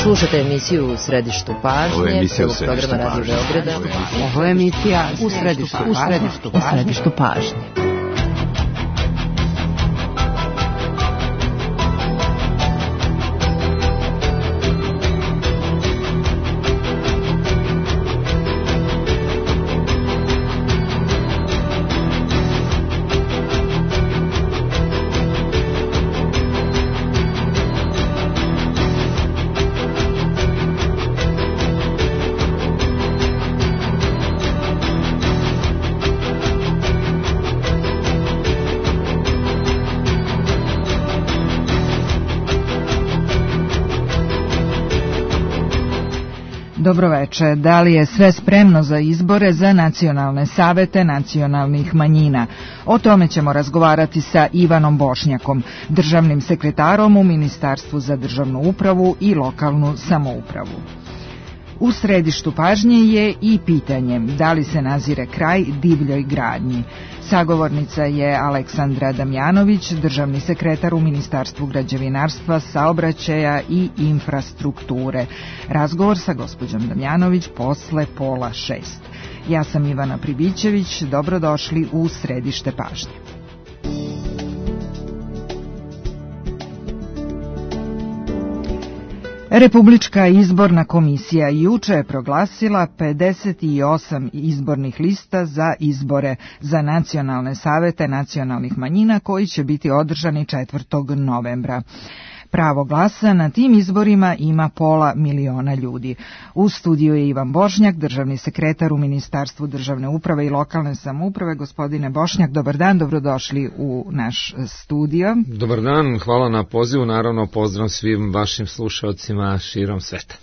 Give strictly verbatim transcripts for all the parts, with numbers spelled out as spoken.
Slušate emisiju U središtu pažnje. Ovo je emisija U središtu programa Radio Beograda. Ovo je emisija U središtu pažnje. U središtu pažnje. Dobroveče. Da li je sve spremno za izbore za nacionalne savete nacionalnih manjina? O tome ćemo razgovarati sa Ivanom Bošnjakom, državnim sekretarom u Ministarstvu za državnu upravu i lokalnu samoupravu. U središtu pažnje je i pitanje da li se nazire kraj divljoj gradnji. Sagovornica je Aleksandra Damjanović, državni sekretar u Ministarstvu građevinarstva, saobraćaja i infrastrukture. Razgovor sa gospođom Damjanović posle pola šest. Ja sam Ivana Pribićević, dobrodošli u središte pažnje. Republička izborna komisija juče je proglasila pedeset osam izbornih lista za izbore za nacionalne savete nacionalnih manjina koji će biti održani četvrtog novembra. Pravo glasa na tim izborima ima pola miliona ljudi. U studiju je Ivan Bošnjak, državni sekretar u Ministarstvu državne uprave i lokalne samouprave. Gospodine Bošnjak, dobar dan, dobrodošli u naš studio. Dobar dan, hvala na pozivu, naravno pozdrav svim vašim slušalcima širom sveta.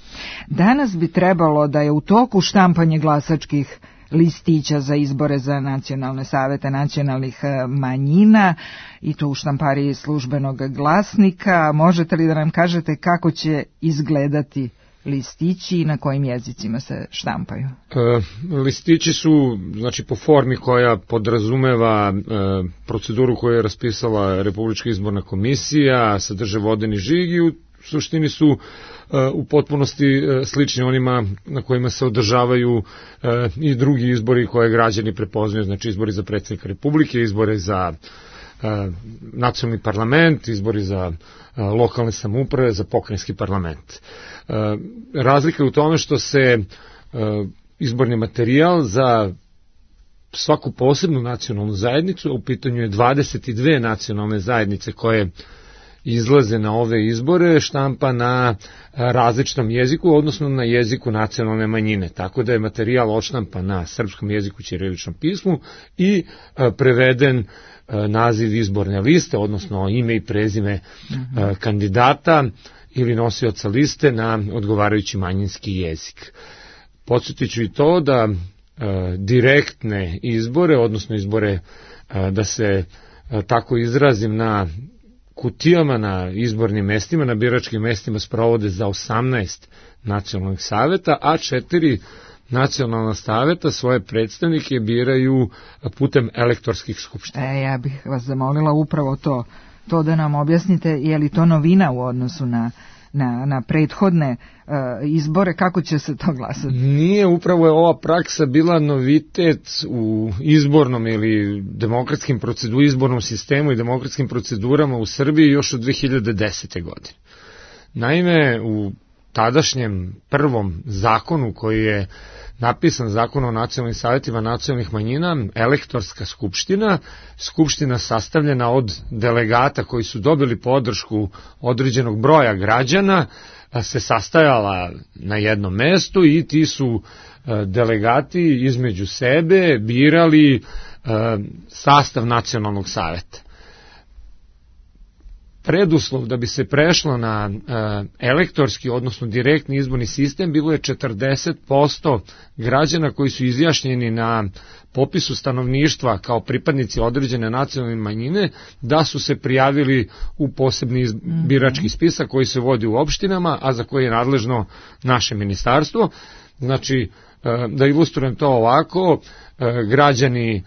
Danas bi trebalo da je u toku štampanje glasačkih listića za izbore za nacionalne savete nacionalnih manjina i to u štampariji Službenog glasnika. Možete li da nam kažete kako će izgledati listići i na kojim jezicima se štampaju? E, listići su, znači, po formi koja podrazumeva e, proceduru koju je raspisala Republička izborna komisija, sadrže vodeni žig i u suštini su u potpunosti slični onima na kojima se održavaju i drugi izbori koje građani prepoznaju, znači izbori za predsjednika Republike, izbori za nacionalni parlament, izbori za lokalne samouprave, za pokrajinski parlament. Razlika je u tome što se izborni materijal za svaku posebnu nacionalnu zajednicu, u pitanju je dvadeset dve nacionalne zajednice koje izlaze na ove izbore, štampa na različitom jeziku, odnosno na jeziku nacionalne manjine. Tako da je materijal odštampan na srpskom jeziku, ćiriličnom pismu i preveden naziv izborne liste, odnosno ime i prezime mm-hmm. kandidata ili nosioca liste na odgovarajući manjinski jezik. Podsjetit ću i to da direktne izbore, odnosno izbore da se tako izrazim na kutijama na izbornim mestima, na biračkim mestima sprovode za osamnaest nacionalnih saveta, a četiri nacionalna saveta svoje predstavnike biraju putem elektorskih skupština. E, ja bih vas zamolila upravo to, to da nam objasnite, je li to novina u odnosu na na, na prethodne uh, izbore, kako će se to glasati? Nije, upravo je ova praksa bila novitet u izbornom ili demokratskim procedu, izbornom sistemu i demokratskim procedurama u Srbiji još od dve hiljade desete. godine. Naime, u tadašnjem prvom zakonu koji je napisan, Zakon o nacionalnim savjetima nacionalnih manjina, elektorska skupština, skupština sastavljena od delegata koji su dobili podršku određenog broja građana, se sastajala na jednom mestu i ti su delegati između sebe birali sastav nacionalnog saveta. Preduslov da bi se prešlo na elektorski, odnosno direktni izborni sistem, bilo je četrdeset posto građana koji su izjašnjeni na popisu stanovništva kao pripadnici određene nacionalne manjine, da su se prijavili u posebni birački spisak koji se vodi u opštinama, a za koji je nadležno naše ministarstvo. Znači, da ilustrujem to ovako, građani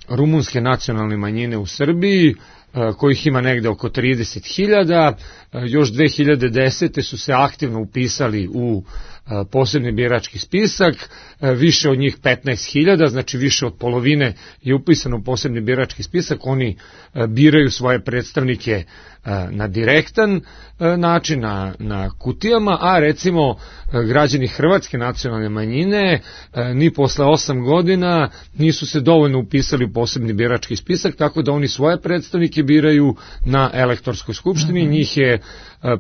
rumunske nacionalne manjine u Srbiji kojih ima negde oko trideset hiljada. Još dve hiljade desete su se aktivno upisali u posebni birački spisak, više od njih petnaest hiljada, znači više od polovine je upisano u posebni birački spisak. Oni biraju svoje predstavnike na direktan način, na, na kutijama, a recimo građani hrvatske nacionalne manjine ni posle osam godina nisu se dovoljno upisali u posebni birački spisak, tako da oni svoje predstavnike biraju na elektorskoj skupštini. Mm-hmm. Njih je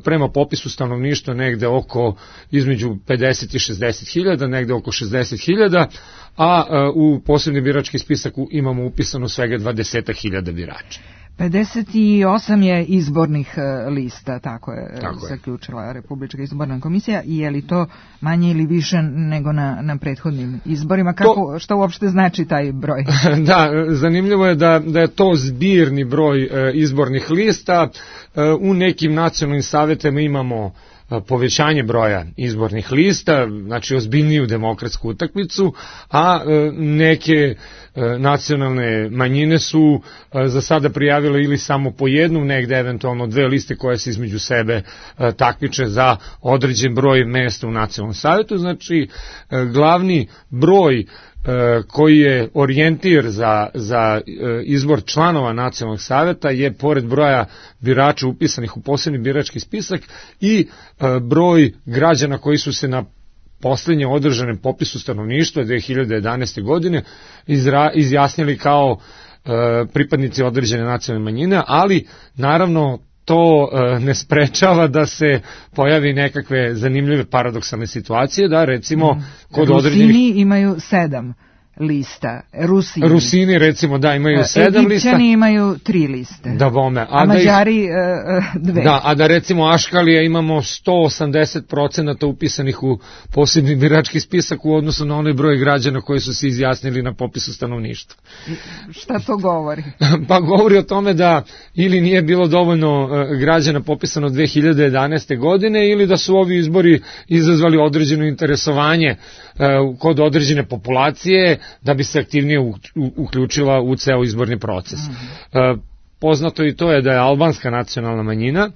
prema popisu stanovništva negde oko između pedeset i šezdeset hiljada, negde oko šezdeset hiljada, a u posebni birački spisak imamo upisano svega dvadeset hiljada birača. pedeset osam je izbornih lista, tako je, tako je zaključila Republička izborna komisija. I je li to manje ili više nego na, na prethodnim izborima? Kako, to, što uopšte znači taj broj? Da, zanimljivo je da, da je to zbirni broj e, izbornih lista. E, u nekim nacionalnim savetima imamo povećanje broja izbornih lista, znači ozbiljniju demokratsku utakmicu, a neke nacionalne manjine su za sada prijavile ili samo po jednu, negde eventualno dve liste koje se između sebe takmiče za određen broj mesta u nacionalnom savetu. Znači, glavni broj koji je orijentir za, za izbor članova nacionalnog saveta je pored broja birača upisanih u posebni birački spisak i broj građana koji su se na poslednje održanem popisu stanovništva dve hiljade jedanaeste. godine izra, izjasnili kao pripadnici određene nacionalne manjine, ali naravno to ne sprečava da se pojavi nekakve zanimljive paradoksalne situacije, da recimo mm. kod određenih... Rusini imaju sedam lista. Rusini. Rusini recimo da imaju sedam lista. Egipćani imaju tri liste. Da bome. A, a da Mađari ih, dve. Da, a da recimo Aškalija imamo sto osamdeset procenata upisanih u posebni birački spisak u odnosu na onaj broj građana koji su se izjasnili na popisu stanovništva. Šta to govori? Pa govori o tome da ili nije bilo dovoljno građana popisano dve hiljade jedanaeste. godine ili da su ovi izbori izazvali određeno interesovanje kod određene populacije da bi se aktivnije uključila u ceo izborni proces. Mm-hmm. Poznato i to je da je albanska nacionalna manjina,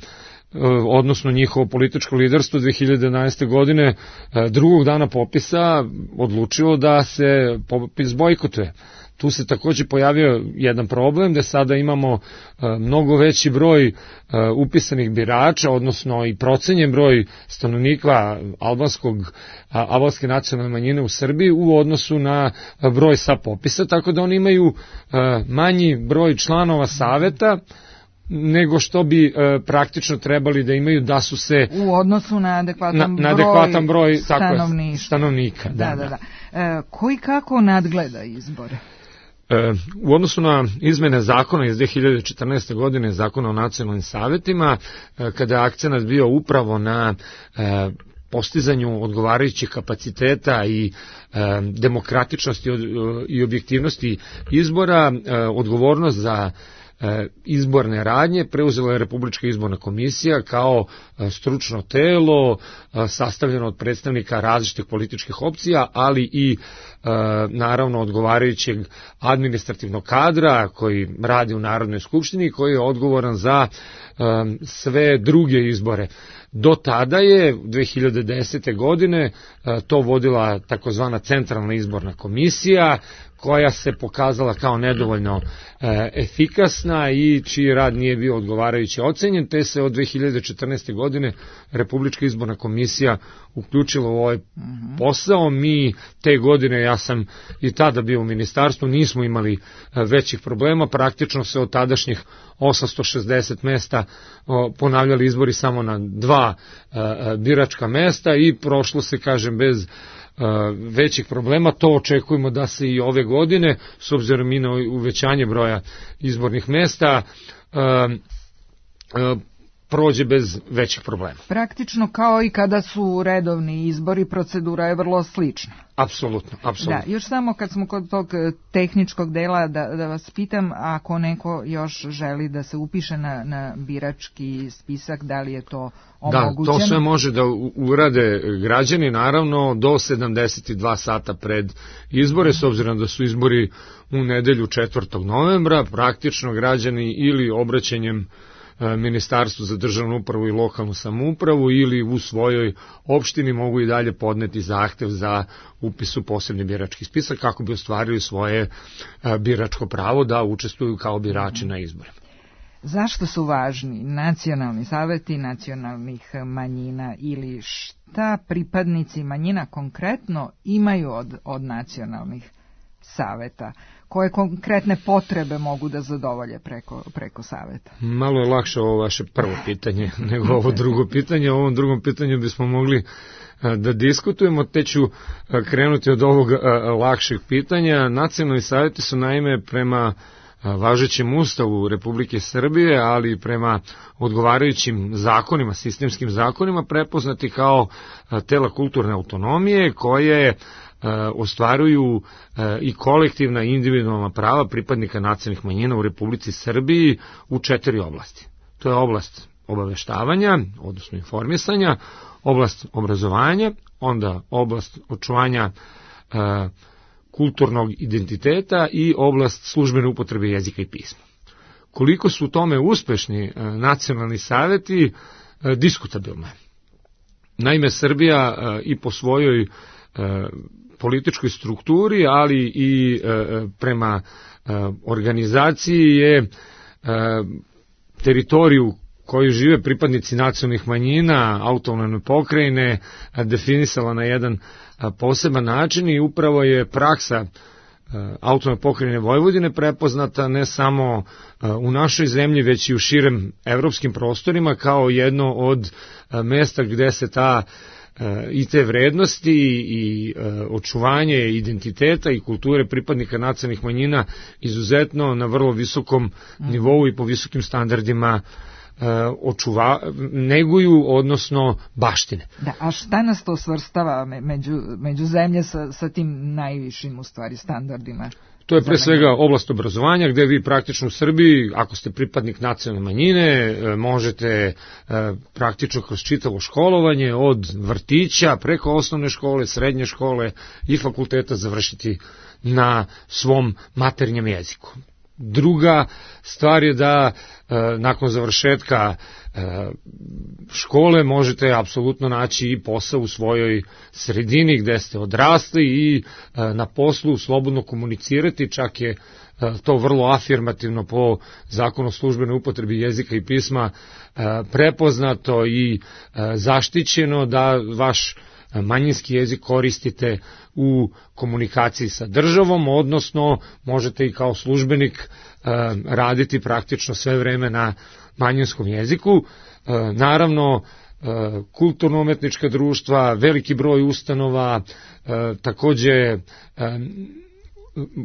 odnosno njihovo političko liderstvo dve hiljade jedanaeste. godine drugog dana popisa odlučilo da se popis bojkotuje. Tu se takođe pojavio jedan problem da sada imamo mnogo veći broj upisanih birača, odnosno i procenjen broj stanovnika albanskog, albanske nacionalne manjine u Srbiji u odnosu na broj sa popisa, tako da oni imaju manji broj članova saveta nego što bi e, praktično trebali da imaju da su se u odnosu na adekvatan, na, na adekvatan broj, broj stanovništva. stanovnika. Da, da, da. da. E, koji kako nadgleda izbore? E, u odnosu na izmene zakona iz dve hiljade četrnaeste. godine, zakona o nacionalnim savetima, e, kada je akcenat bio upravo na e, postizanju odgovarajućih kapaciteta i e, demokratičnosti i objektivnosti izbora, e, odgovornost za izborne radnje preuzela je Republička izborna komisija kao stručno telo sastavljeno od predstavnika različitih političkih opcija, ali i naravno odgovarajućeg administrativnog kadra koji radi u Narodnoj skupštini i koji je odgovoran za sve druge izbore. Do tada je dve hiljade desete. godine to vodila takozvana Centralna izborna komisija, koja se pokazala kao nedovoljno e, efikasna i čiji rad nije bio odgovarajuće ocenjen, te se od dve hiljade četrnaeste. godine Republička izborna komisija uključila u ovaj posao. Mi te godine, ja sam i tada bio u ministarstvu, nismo imali većih problema, praktično se od tadašnjih osamsto šezdeset mesta o, ponavljali izbori samo na dva e, biračka mesta i prošlo se, kažem, bez većih problema. To očekujemo da se i ove godine, s obzirom i na uvećanje broja izbornih mesta, prođe bez većih problema. Praktično kao i kada su redovni izbori, procedura je vrlo slična. Apsolutno, apsolutno. Da, još samo kad smo kod tog tehničkog dela da, da vas pitam, ako neko još želi da se upiše na, na birački spisak, da li je to omogućeno? Da, to sve može da urade građani, naravno, do sedamdeset dva sata pred izbore, s obzirom da su izbori u nedelju četvrtog novembra, praktično građani ili obraćanjem Ministarstvu za državnu upravu i lokalnu samoupravu ili u svojoj opštini mogu i dalje podneti zahtev za upis u posebni birački spisak kako bi ostvarili svoje biračko pravo da učestvuju kao birači na izborima. Zašto su važni nacionalni saveti nacionalnih manjina ili šta pripadnici manjina konkretno imaju od, od nacionalnih saveta? Koje konkretne potrebe mogu da zadovolje preko, preko saveta? Malo je lakše ovo vaše prvo pitanje nego ovo drugo pitanje. O ovom drugom pitanju bismo mogli da diskutujemo, te ću krenuti od ovog lakšeg pitanja. Nacionalni saveti su naime prema važećem Ustavu Republike Srbije, ali i prema odgovarajućim zakonima, sistemskim zakonima, prepoznati kao tela kulturne autonomije koje ostvaruju i kolektivna i individualna prava pripadnika nacionalnih manjina u Republici Srbiji u četiri oblasti. To je oblast obaveštavanja, odnosno informisanja, oblast obrazovanja, onda oblast očuvanja kulturnog identiteta i oblast službene upotrebe jezika i pisma. Koliko su u tome uspešni nacionalni saveti, diskutabilno je. Naime, Srbija i po svojoj političkoj strukturi, ali i prema organizaciji je teritoriju koju žive pripadnici nacionalnih manjina, autonomne pokrajine, definisala na jedan poseban način i upravo je praksa autonomne pokrajine Vojvodine prepoznata ne samo u našoj zemlji, već i u širem evropskim prostorima kao jedno od mesta gde se ta i te vrednosti i očuvanje identiteta i kulture pripadnika nacionalnih manjina izuzetno na vrlo visokom nivou i po visokim standardima očuva, neguju, odnosno baštine. Da, a šta nas to svrstava među, među zemlje sa, sa tim najvišim u stvari standardima? To je pre svega oblast obrazovanja gde vi praktično u Srbiji, ako ste pripadnik nacionalne manjine, možete praktično kroz čitavo školovanje od vrtića preko osnovne škole, srednje škole i fakulteta završiti na svom maternjem jeziku. Druga stvar je da nakon završetka škole možete apsolutno naći i posao u svojoj sredini gde ste odrasli i na poslu slobodno komunicirati, čak je to vrlo afirmativno po zakonu o službenoj upotrebi jezika i pisma prepoznato i zaštićeno da vaš manjinski jezik koristite u komunikaciji sa državom, odnosno možete i kao službenik raditi praktično sve vreme na manjinskom jeziku. Naravno, kulturno-umetnička društva, veliki broj ustanova, takođe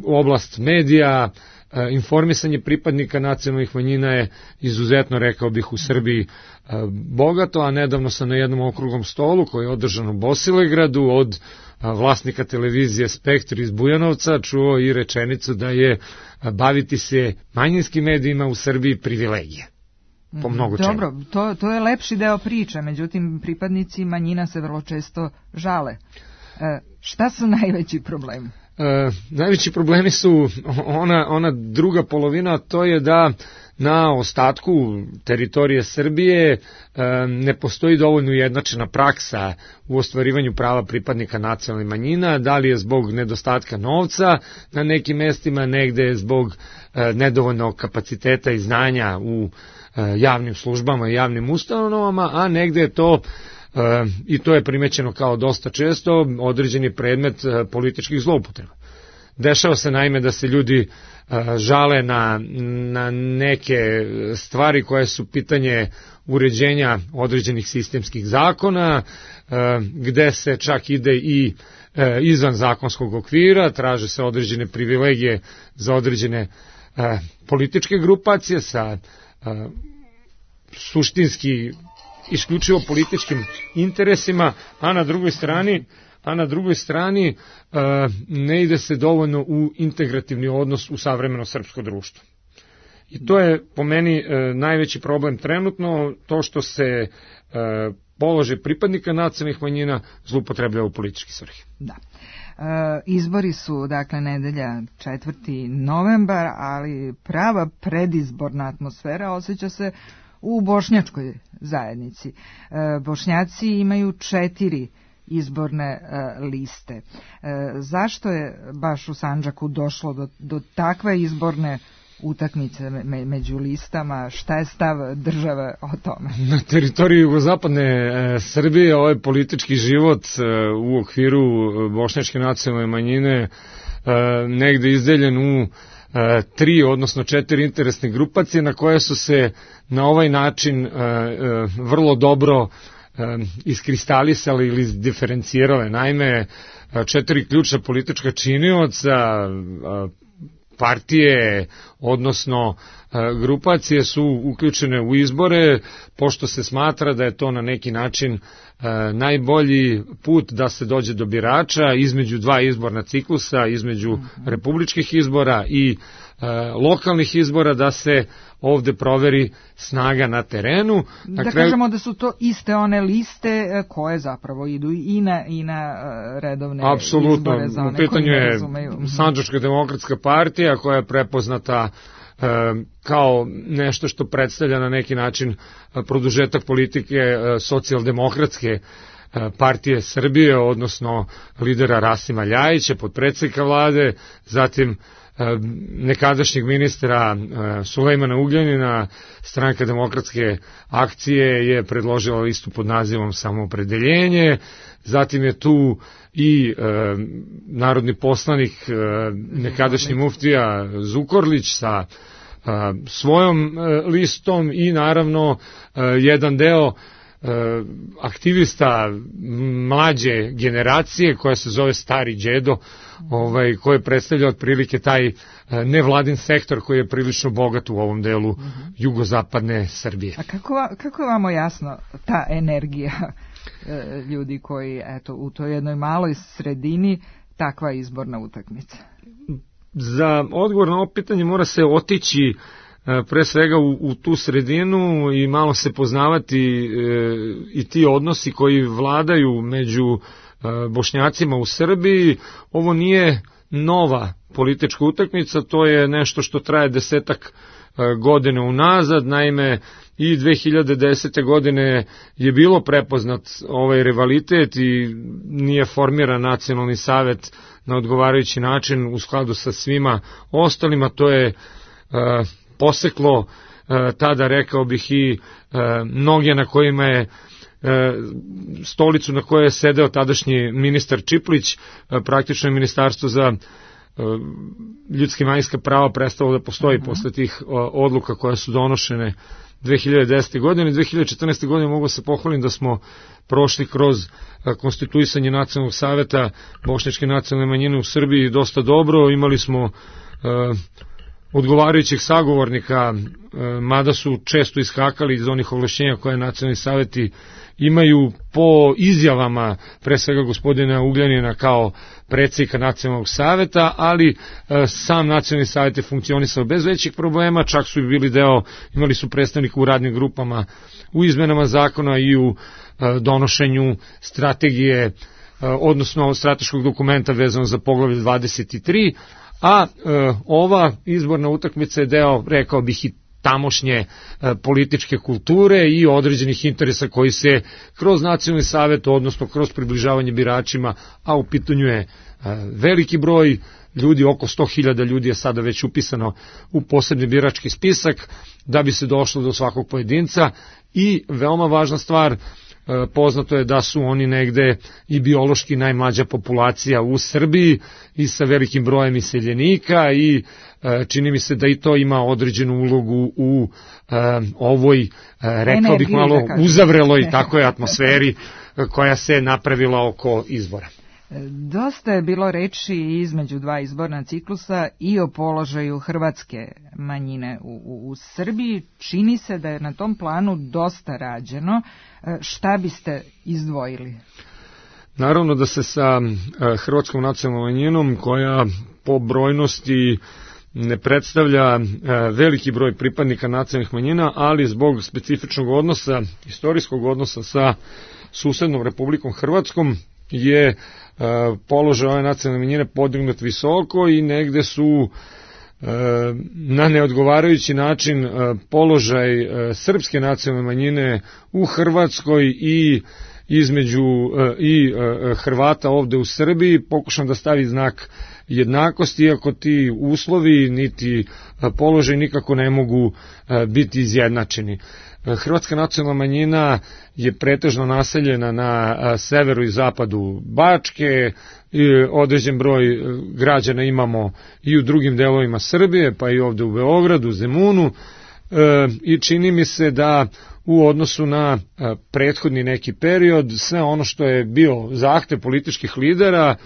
oblast medija, informisanje pripadnika nacionalnih manjina je izuzetno, rekao bih, u Srbiji bogato, a nedavno sam na jednom okruglom stolu koji je održan u Bosilegradu od vlasnika televizije Spektr iz Bujanovca čuo i rečenicu da je baviti se manjinskim medijima u Srbiji privilegija. Po mnogo čemu. Dobro, to, to je lepši deo priče, međutim pripadnici manjina se vrlo često žale. E, šta su najveći problemi? E, najveći problemi su ona, ona druga polovina, to je da na ostatku teritorije Srbije e, ne postoji dovoljno ujednačena praksa u ostvarivanju prava pripadnika nacionalnih manjina, da li je zbog nedostatka novca na nekim mestima, negde je zbog e, nedovoljnog kapaciteta i znanja u e, javnim službama i javnim ustanovama, a negde je to E, i to je primećeno kao dosta često određeni predmet e, političkih zloupotreba. Dešava se naime da se ljudi e, žale na, na neke stvari koje su pitanje uređenja određenih sistemskih zakona, e, gde se čak ide i e, izvan zakonskog okvira, traže se određene privilegije za određene e, političke grupacije sa e, suštinski isključivo političkim interesima, a na drugoj strani a na drugoj strani ne ide se dovoljno u integrativni odnos u savremeno srpsko društvo. I to je po meni najveći problem trenutno, to što se položaj pripadnika nacionalnih manjina zloupotrebljava u političke svrhe. Da. E, izbori su, dakle, nedelja četvrti novembar, ali prava predizborna atmosfera osjeća se u bošnjačkoj zajednici. E, Bošnjaci imaju četiri izborne e, liste. E, zašto je baš u Sandžaku došlo do, do takve izborne utakmice me, među listama? Šta je stav države o tome? Na teritoriji jugozapadne e, Srbije ovaj politički život e, u okviru bošnjačke nacionalne manjine e, negde izdeljen u e, tri, odnosno četiri interesne grupacije na koje su se na ovaj način e, e, vrlo dobro iskristalisali ili diferencirale. Naime, četiri ključna politička činioca, partije, odnosno grupacije su uključene u izbore, pošto se smatra da je to na neki način najbolji put da se dođe do birača između dva izborna ciklusa, između republičkih izbora i lokalnih izbora, da se ovde proveri snaga na terenu. Na da kraju... kažemo da su to iste one liste koje zapravo idu i na, i na redovne Apsolutno. Izbore za one u pitanju koji ne je razumeju. Sandžačka demokratska partija koja je prepoznata e, kao nešto što predstavlja na neki način produžetak politike e, socijaldemokratske partije Srbije, odnosno lidera Rasima Ljajića, potpredsednika vlade, zatim nekadašnjeg ministra Sulejmana Ugljanina. Stranka demokratske akcije je predložila listu pod nazivom Samoopredeljenje, zatim je tu i e, narodni poslanik e, nekadašnji muftija Zukorlić sa e, svojom e, listom i naravno e, jedan deo aktivista mlađe generacije koja se zove Stari Đedo, ovaj, koji predstavlja otprilike taj nevladin sektor koji je prilično bogat u ovom delu uh-huh. jugozapadne Srbije. A kako, kako je vamo jasno ta energija ljudi koji, eto, u toj jednoj maloj sredini takva izborna utakmica? Za odgovor na ovo pitanje mora se otići pre svega u, u tu sredinu i malo se poznavati e, i ti odnosi koji vladaju među e, Bošnjacima u Srbiji. Ovo nije nova politička utakmica, to je nešto što traje desetak e, godine unazad. Naime, i dve hiljade desete. godine je bilo prepoznat ovaj rivalitet i nije formiran nacionalni savet na odgovarajući način u skladu sa svima ostalima. To je e, poseklo e, tada, rekao bih, i e, noge na kojima je e, stolicu na kojoj je sedeo tadašnji ministar Čiplić, e, praktično je ministarstvo za e, ljudska i manjinska prava prestalo da postoji uh-huh. posle tih o, odluka koje su donošene dve hiljade desete. godine. dve hiljade četrnaeste. godine mogu se pohvalim da smo prošli kroz a, konstituisanje nacionalnog saveta bošnjačke nacionalne manjine u Srbiji dosta dobro. Imali smo a, odgovarajućih sagovornika, mada su često iskakali iz onih ovlašćenja koje nacionalni saveti imaju po izjavama pre svega gospodina Ugljanina kao predsjednika nacionalnog saveta, ali sam nacionalni savet je funkcionisao bez većih problema, čak su i bili deo, imali su predstavnika u radnim grupama u izmenama zakona i u donošenju strategije, odnosno strateškog dokumenta vezano za poglavlje dvadeset tri, a e, ova izborna utakmica je deo, rekao bih, i tamošnje e, političke kulture i određenih interesa koji se kroz nacionalni savet, odnosno kroz približavanje biračima, a u pitanju je e, veliki broj ljudi, oko sto hiljada ljudi je sada već upisano u posebni birački spisak, da bi se došlo do svakog pojedinca. I veoma važna stvar, poznato je da su oni negde i biološki najmlađa populacija u Srbiji i sa velikim brojem iseljenika i čini mi se da i to ima određenu ulogu u ovoj, rekao bih, malo uzavreloj tako je atmosferi koja se napravila oko izbora. Dosta je bilo reči između dva izborna ciklusa i o položaju hrvatske manjine u, u, u Srbiji. Čini se da je na tom planu dosta rađeno. Šta biste izdvojili? Naravno da se sa hrvatskom nacionalnom manjinom, koja po brojnosti ne predstavlja veliki broj pripadnika nacionalnih manjina, ali zbog specifičnog odnosa, istorijskog odnosa sa susednom Republikom Hrvatskom, je položaj ove nacionalne manjine podignut visoko i negde su na neodgovarajući način položaj srpske nacionalne manjine u Hrvatskoj i između i Hrvata ovde u Srbiji pokušam da stavi znak jednakosti, iako ti uslovi niti položaj nikako ne mogu biti izjednačeni. Hrvatska nacionalna manjina je pretežno naseljena na severu i zapadu Bačke, određen broj građana imamo i u drugim delovima Srbije, pa i ovde u Beogradu, Zemunu, i čini mi se da u odnosu na prethodni neki period, sve ono što je bio zahtev političkih lidera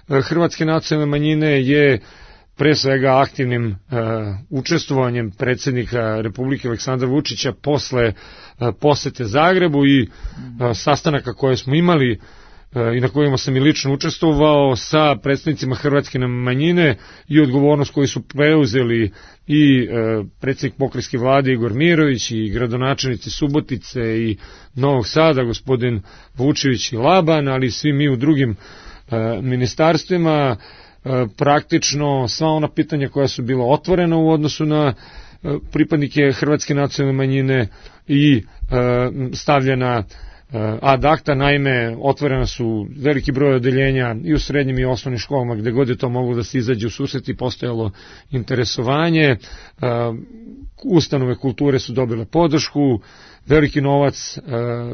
hrvatske nacionalne manjine je pre svega aktivnim uh, učestvovanjem predsjednika Republike Aleksandra Vučića posle uh, posete Zagrebu i uh, sastanaka koje smo imali uh, i na kojima sam i lično učestvovao sa predstavnicima hrvatske manjine i odgovornost koju su preuzeli i uh, predsjednik pokrajinske vlade Igor Mirović i gradonačelnici Subotice i Novog Sada gospodin Vučević i Laban, ali svi mi u drugim uh, ministarstvima. Praktično sva ona pitanja koja su bila otvorena u odnosu na pripadnike hrvatske nacionalne manjine i stavljena ad acta. Naime, otvorena su veliki broj odeljenja i u srednjim i osnovnim školama, gde god je to moglo da se izađe u susret i postojalo interesovanje. Ustanove kulture su dobile podršku, veliki novac,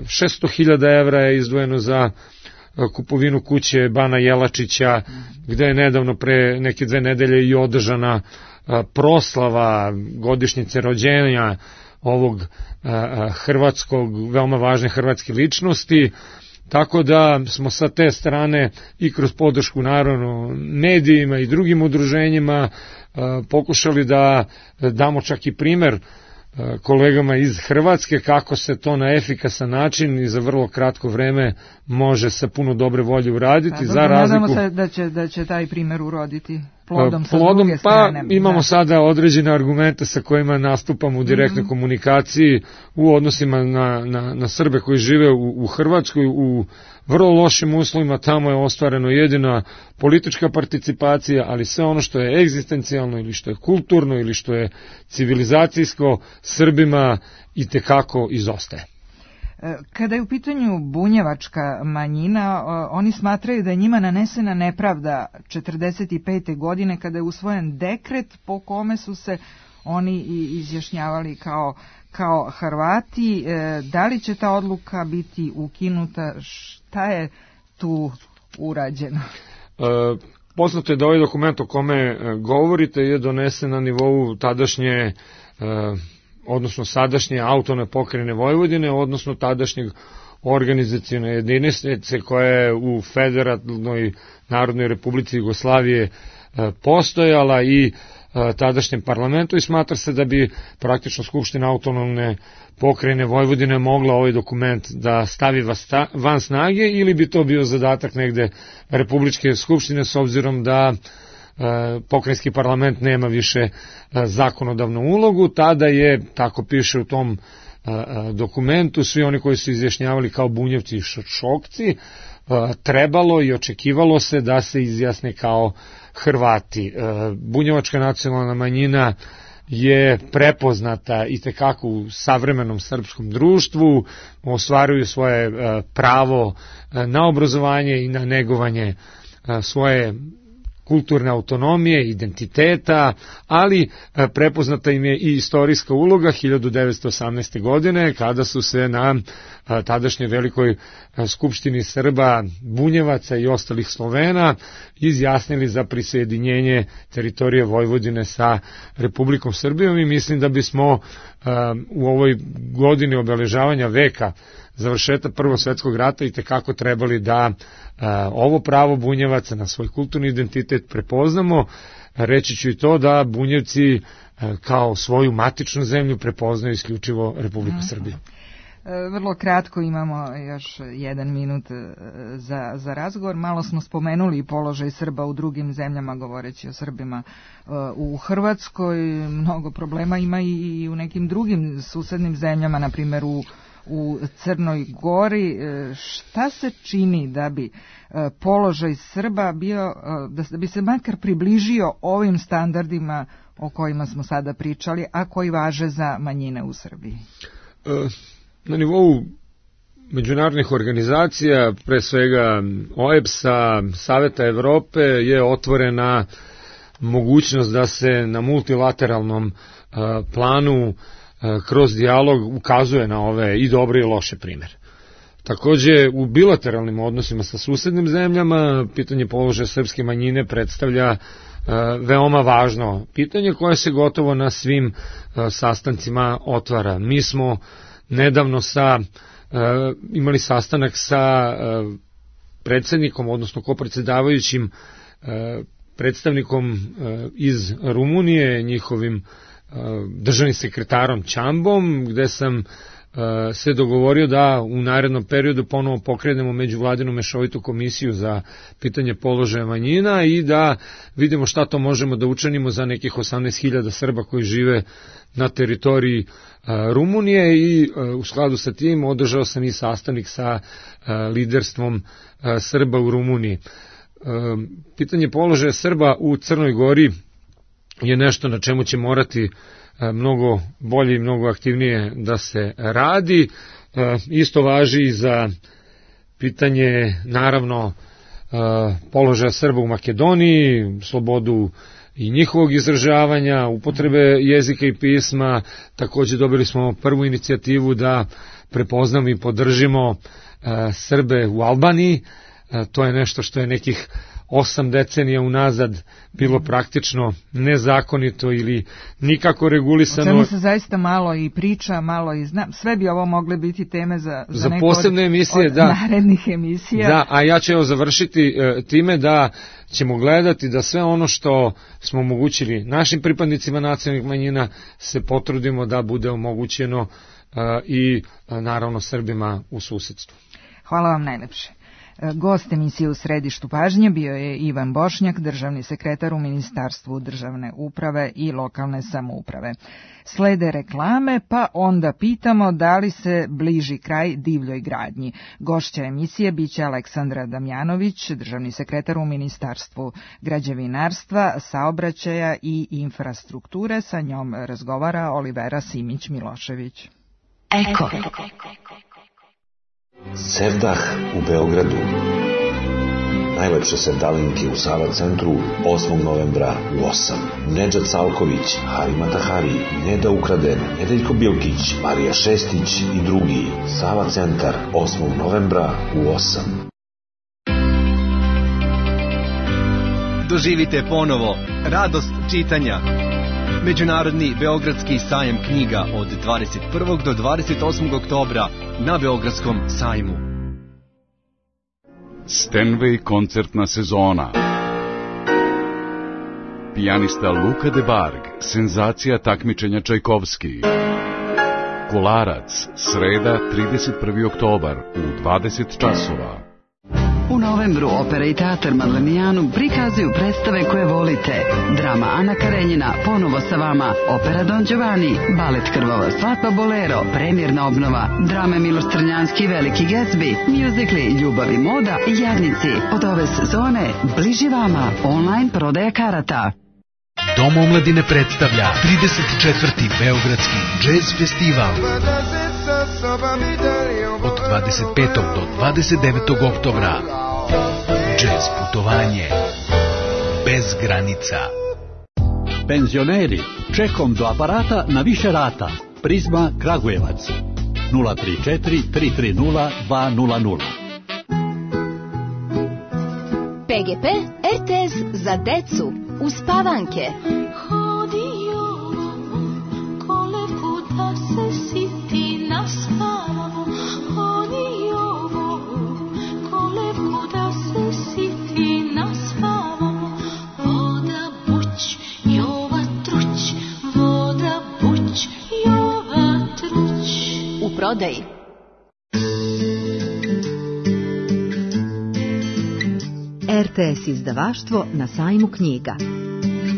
šesto hiljada evra je izdvojeno za kupovinu kuće Bana Jelačića, gde je nedavno pre neke dve nedelje i održana proslava godišnjice rođenja ovog hrvatskog, veoma važne hrvatske ličnosti, tako da smo sa te strane i kroz podršku naravno medijima i drugim udruženjima pokušali da damo čak i primer kolegama iz Hrvatske kako se to na efikasan način i za vrlo kratko vreme može sa puno dobre volje uraditi. Pa, za razliku, nadamo se da će, da će taj primer uroditi plodom, plodom sa druge strane. Pa imamo da. sada određene argumente sa kojima nastupamo u direktnoj mm-hmm. komunikaciji u odnosima na, na, na Srbe koji žive u, u Hrvatskoj u vrlo lošim uslovima. Tamo je ostvareno jedina politička participacija, ali sve ono što je egzistencijalno ili što je kulturno ili što je civilizacijsko Srbima i tekako izostaje. Kada je u pitanju bunjevačka manjina, oni smatraju da je njima nanesena nepravda četrdeset pete godine kada je usvojen dekret po kome su se oni izjašnjavali kao, kao Hrvati. Da li će ta odluka biti ukinuta? Šta je tu urađeno? E, poznato je da ovaj dokument o kome govorite je donesen na nivou tadašnje e, odnosno sadašnje autonomne pokrajine Vojvodine, odnosno tadašnjeg organizacione jedinice koja je u Federalnoj Narodnoj Republici Jugoslavije postojala i tadašnjem parlamentu, i smatra se da bi praktično Skupština autonomne pokrajine Vojvodine mogla ovaj dokument da stavi van snage, ili bi to bio zadatak negde Republičke skupštine, s obzirom da pokrajinski parlament nema više zakonodavnu ulogu. Tada je, tako piše u tom dokumentu, svi oni koji su izjašnjavali kao Bunjevci i Šokci, trebalo i očekivalo se da se izjasne kao Hrvati. Bunjevačka nacionalna manjina je prepoznata i tekako u savremenom srpskom društvu, ostvaruju svoje pravo na obrazovanje i na negovanje svoje kulturne autonomije, identiteta, ali prepoznata im je i istorijska uloga hiljadu devetsto osamnaeste. godine, kada su se na tadašnjoj velikoj skupštini Srba, Bunjevaca i ostalih Slovena izjasnili za prisjedinjenje teritorije Vojvodine sa Republikom Srbijom, i mislim da bismo u ovoj godini obeležavanja veka završetak Prvog svetskog rata i tekako trebali da ovo pravo Bunjevaca na svoj kulturni identitet prepoznamo. Reći ću i to da Bunjevci kao svoju matičnu zemlju prepoznaju isključivo Republiku Srbiju. Vrlo kratko, imamo još jedan minut za, za razgovor. Malo smo spomenuli i položaj Srba u drugim zemljama, govoreći o Srbima u Hrvatskoj. Mnogo problema ima i u nekim drugim susednim zemljama, na primjer u, u Crnoj Gori. Šta se čini da bi položaj Srba bio, da bi se makar približio ovim standardima o kojima smo sada pričali, a koji važe za manjine u Srbiji? Uh. Na nivou međunarodnih organizacija, pre svega O E B S-a, Saveta Evrope, je otvorena mogućnost da se na multilateralnom planu kroz dijalog ukazuje na ove i dobre i loše primere. Takođe, u bilateralnim odnosima sa susednim zemljama, pitanje položaja srpske manjine predstavlja veoma važno pitanje koje se gotovo na svim sastancima otvara. Mi smo nedavno sa, uh, imali sastanak sa uh, predsednikom, odnosno kopredsedavajućim uh, predstavnikom uh, iz Rumunije, njihovim uh, državnim sekretarom Čambom, gde sam uh, se dogovorio da u narednom periodu ponovo pokrenemo međuvladinu mešovitu komisiju za pitanje položaja manjina i da vidimo šta to možemo da učinimo za nekih osamnaest hiljada Srba koji žive na teritoriji Rumunije i u skladu sa tim održao sam i sastanak sa liderstvom Srba u Rumuniji. Pitanje položaja Srba u Crnoj Gori je nešto na čemu će morati mnogo bolje i mnogo aktivnije da se radi. Isto važi i za pitanje, naravno, položaja Srba u Makedoniji, slobodu i njihovog izražavanja, upotrebe jezika i pisma. Takođe dobili smo prvu inicijativu da prepoznamo i podržimo Srbe u Albaniji. To je nešto što je nekih osam decenija unazad bilo praktično nezakonito ili nikako regulisano. O čemu se zaista malo i priča, malo i zna. Sve bi ovo mogle biti teme za, za, za neko posebne od, emisije, od da. narednih emisija. Da, a ja ću evo završiti e, time da ćemo gledati da sve ono što smo omogućili našim pripadnicima nacionalnih manjina se potrudimo da bude omogućeno e, i e, naravno Srbima u susedstvu. Hvala vam najlepše. Gost emisije U središtu pažnje bio je Ivan Bošnjak, državni sekretar u Ministarstvu državne uprave i lokalne samouprave. Slede reklame, pa onda pitamo da li se bliži kraj divljoj gradnji. Gošća emisije biće Aleksandra Damjanović, državni sekretar u Ministarstvu građevinarstva, saobraćaja i infrastrukture. Sa njom razgovara Olivera Simić-Milošević. Eko. Sevdah u Beogradu. Najlepše sevdalinke u Sava centru osmog novembra u osam. Nedžad Salković, Harima Tahari, Neda Ukraden, Nedeljko Bilkić, Marija Šestić i drugi. Sava centar osmog novembra u osam. Doživite ponovo radost čitanja. Međunarodni Beogradski sajam knjiga od dvadeset prvog do dvadeset osmog oktobra na Beogradskom sajmu. Stenway koncertna sezona. Pijanista Luka de Barg, senzacija takmičenja Čajkovski. Kolarac, sreda trideset prvi oktobar u dvadeset časova. U novembru Opera i teatar Madlenijanu prikazuju predstave koje volite. Drama Ana Karenjina, ponovo sa vama. Opera Don Giovanni, balet Krvava svadba Bolero, premjerna obnova. Drame Miloš Crnjanski, Veliki Gatsby, mjuzikli Ljubav i moda i Jadnici. Od ove sezone bliži vama online prodaja karata. Dom omladine predstavlja trideset četvrti Beogradski džez festival. Od dvadeset petog do dvadeset devetog oktobra. Džez putovanje bez granica. Penzioneri, čekom do aparata na više rata. Prizma Kragujevac. nula tri četiri tri tri nula dva nula nula. P G P R T S za decu. Uspavanke. Kolevku da se siti naspavamo. prodaji. R T S izdavaštvo na sajmu knjiga.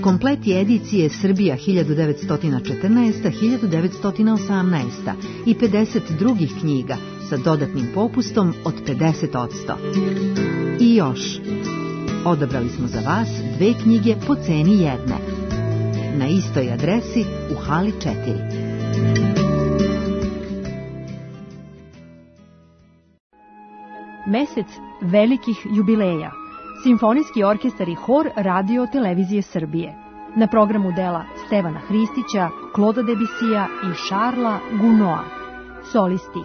Kompleti edicije Srbija hiljadu devetsto četrnaesta do hiljadu devetsto osamnaesta i pedeset drugih knjiga sa dodatnim popustom od pedeset odsto. I još, odabrali smo za vas dve knjige po ceni jedne. Na istoj adresi u hali četiri. Mesec velikih jubileja. Simfonijski orkestar i hor Radio Televizije Srbije. Na programu dela Stevana Hristića, Kloda Debisija i Šarla Gunoa. Solisti: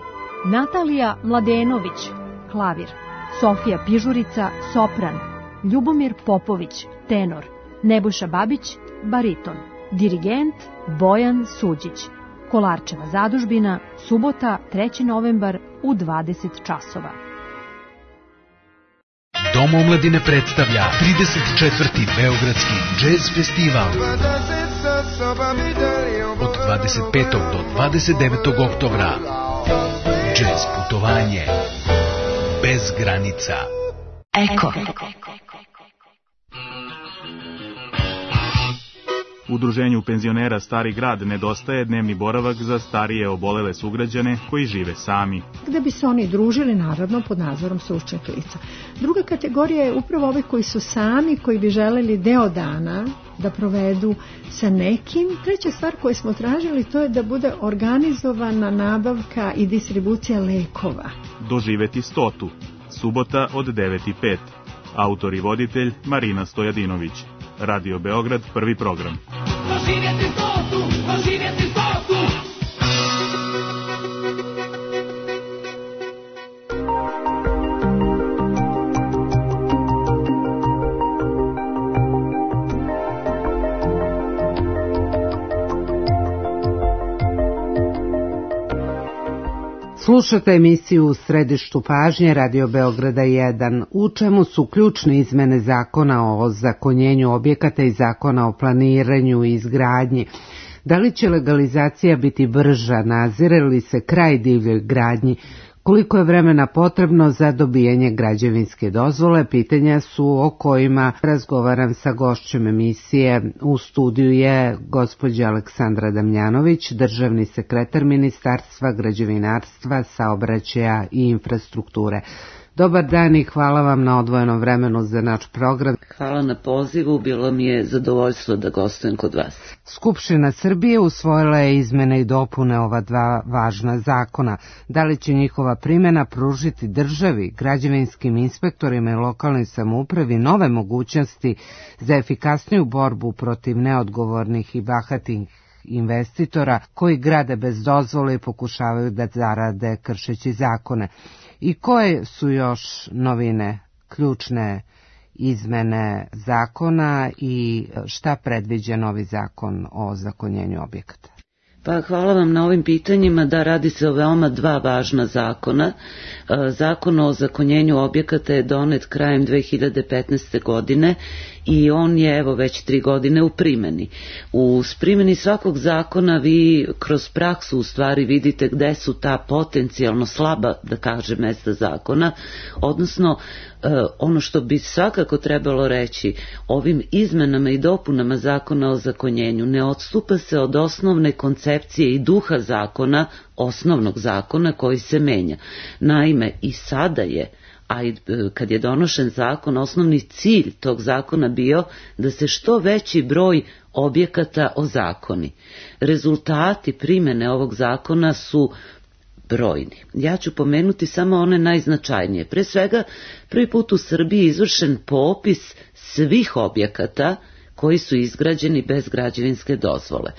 Natalija Mladenović, klavir; Sofija Pižurica, sopran; Ljubomir Popović, tenor; Nebojša Babić, bariton; dirigent Bojan Suđić. Kolarčeva zadužbina, subota, treći novembar u dvadeset časova. Dom omladine predstavlja trideset četvrti Beogradski džez festival. Od dvadeset petog do dvadeset devetog oktobra. Džez putovanje bez granica. Eko. Udruženju penzionera Stari grad nedostaje dnevni boravak za starije obolele sugrađane koji žive sami. Gde bi se oni družili, naravno, pod nadzorom stručnih lica. Druga kategorija je upravo ovi koji su sami, koji bi želeli deo dana da provedu sa nekim. Treća stvar koju smo tražili, to je da bude organizovana nabavka i distribucija lekova. Doživeti stotu. Subota od devet i pet. Autor i voditelj Marina Stojadinović. Radio Beograd, prvi program. Doživjeti stotu, doživjeti stotu. Slušate emisiju U središtu pažnje Radio Beograda jedan, u čemu su ključne izmene zakona o ozakonjenju objekata i zakona o planiranju i izgradnji. Da li će legalizacija biti brža, nazire li se kraj divljoj gradnji, koliko je vremena potrebno za dobijanje građevinske dozvole, pitanja su o kojima razgovaram sa gošćom emisije. U studiju je gospođa Aleksandra Damjanović, državni sekretar Ministarstva građevinarstva, saobraćaja i infrastrukture. Dobar dan i hvala vam na odvojenom vremenu za naš program. Hvala na pozivu, bilo mi je zadovoljstvo da gostujem kod vas. Skupština Srbije usvojila je izmene i dopune ova dva važna zakona. Da li će njihova primjena pružiti državi, građevinskim inspektorima i lokalnoj samoupravi nove mogućnosti za efikasniju borbu protiv neodgovornih i bahatih investitora koji grade bez dozvole i pokušavaju da zarade kršeći zakone? I koje su još novine, ključne izmene zakona i šta predviđa novi zakon o ozakonjenju objekata? Pa hvala vam na ovim pitanjima. Da, radi se o veoma dva važna zakona. Zakon o ozakonjenju objekata je donet krajem dve hiljade petnaeste. godine i on je evo već tri godine u primjeni. U primjeni svakog zakona vi kroz praksu u stvari vidite gde su ta potencijalno slaba, da kažem, mesta zakona, odnosno ono što bi svakako trebalo reći, ovim izmenama i dopunama zakona o ozakonjenju ne odstupa se od osnovne koncepcije i duha zakona, osnovnog zakona koji se menja. Naime, i sada je, a i kad je donošen zakon, osnovni cilj tog zakona bio da se što veći broj objekata ozakoni. Rezultati primjene ovog zakona su brojni. Ja ću pomenuti samo one najznačajnije. Pre svega, prvi put u Srbiji izvršen popis svih objekata koji su izgrađeni bez građevinske dozvole.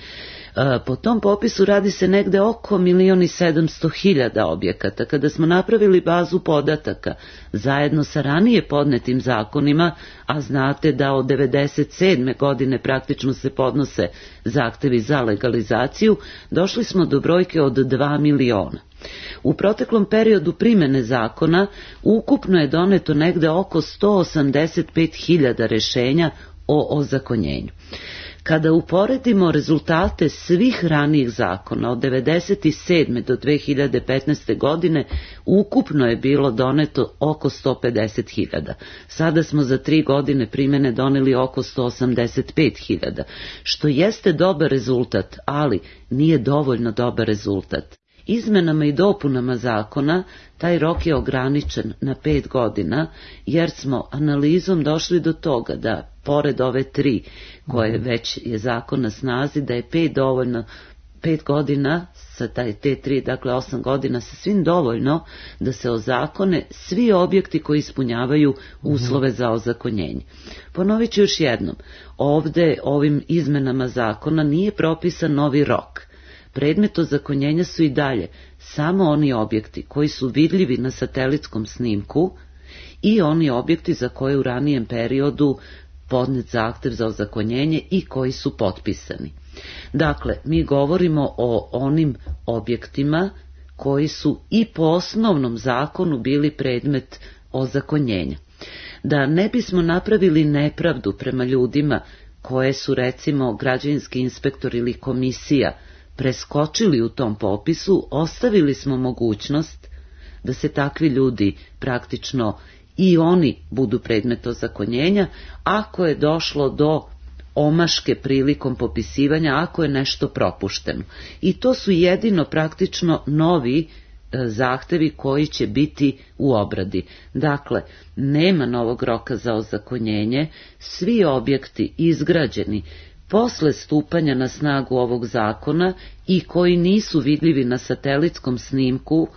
Po tom popisu radi se negde oko milion i sedamsto hiljada objekata. Kada smo napravili bazu podataka zajedno sa ranije podnetim zakonima, a znate da od devedeset sedme. godine praktično se podnose zahtevi za legalizaciju, došli smo do brojke od dva miliona. U proteklom periodu primjene zakona ukupno je doneto negde oko sto osamdeset pet hiljada rešenja o ozakonjenju. Kada uporedimo rezultate svih ranijih zakona od devedeset sedme do dve hiljade petnaeste. godine, ukupno je bilo doneto oko sto pedeset hiljada. Sada smo za tri godine primene doneli oko sto osamdeset pet hiljada, što jeste dobar rezultat, ali nije dovoljno dobar rezultat. Izmenama i dopunama zakona taj rok je ograničen na pet godina, jer smo analizom došli do toga da, pored ove tri koje već je zakon na snazi, da je pet dovoljno, pet godina, sa taj, te tri, dakle osam godina, sa svim dovoljno da se ozakone svi objekti koji ispunjavaju uslove za ozakonjenje. Ponovit ću još jednom, ovde ovim izmenama zakona nije propisan novi rok. Predmet ozakonjenja su i dalje samo oni objekti koji su vidljivi na satelitskom snimku i oni objekti za koje u ranijem periodu podnet zahtev za ozakonjenje i koji su potpisani. Dakle, mi govorimo o onim objektima koji su i po osnovnom zakonu bili predmet ozakonjenja. Da ne bismo napravili nepravdu prema ljudima koje su, recimo, građevinski inspektor ili komisija preskočili u tom popisu, ostavili smo mogućnost da se takvi ljudi praktično i oni budu predmet ozakonjenja ako je došlo do omaške prilikom popisivanja, ako je nešto propušteno. I to su jedino praktično novi e, zahtevi koji će biti u obradi. Dakle, nema novog roka za ozakonjenje, svi objekti izgrađeni posle stupanja na snagu ovog zakona i koji nisu vidljivi na satelitskom snimku,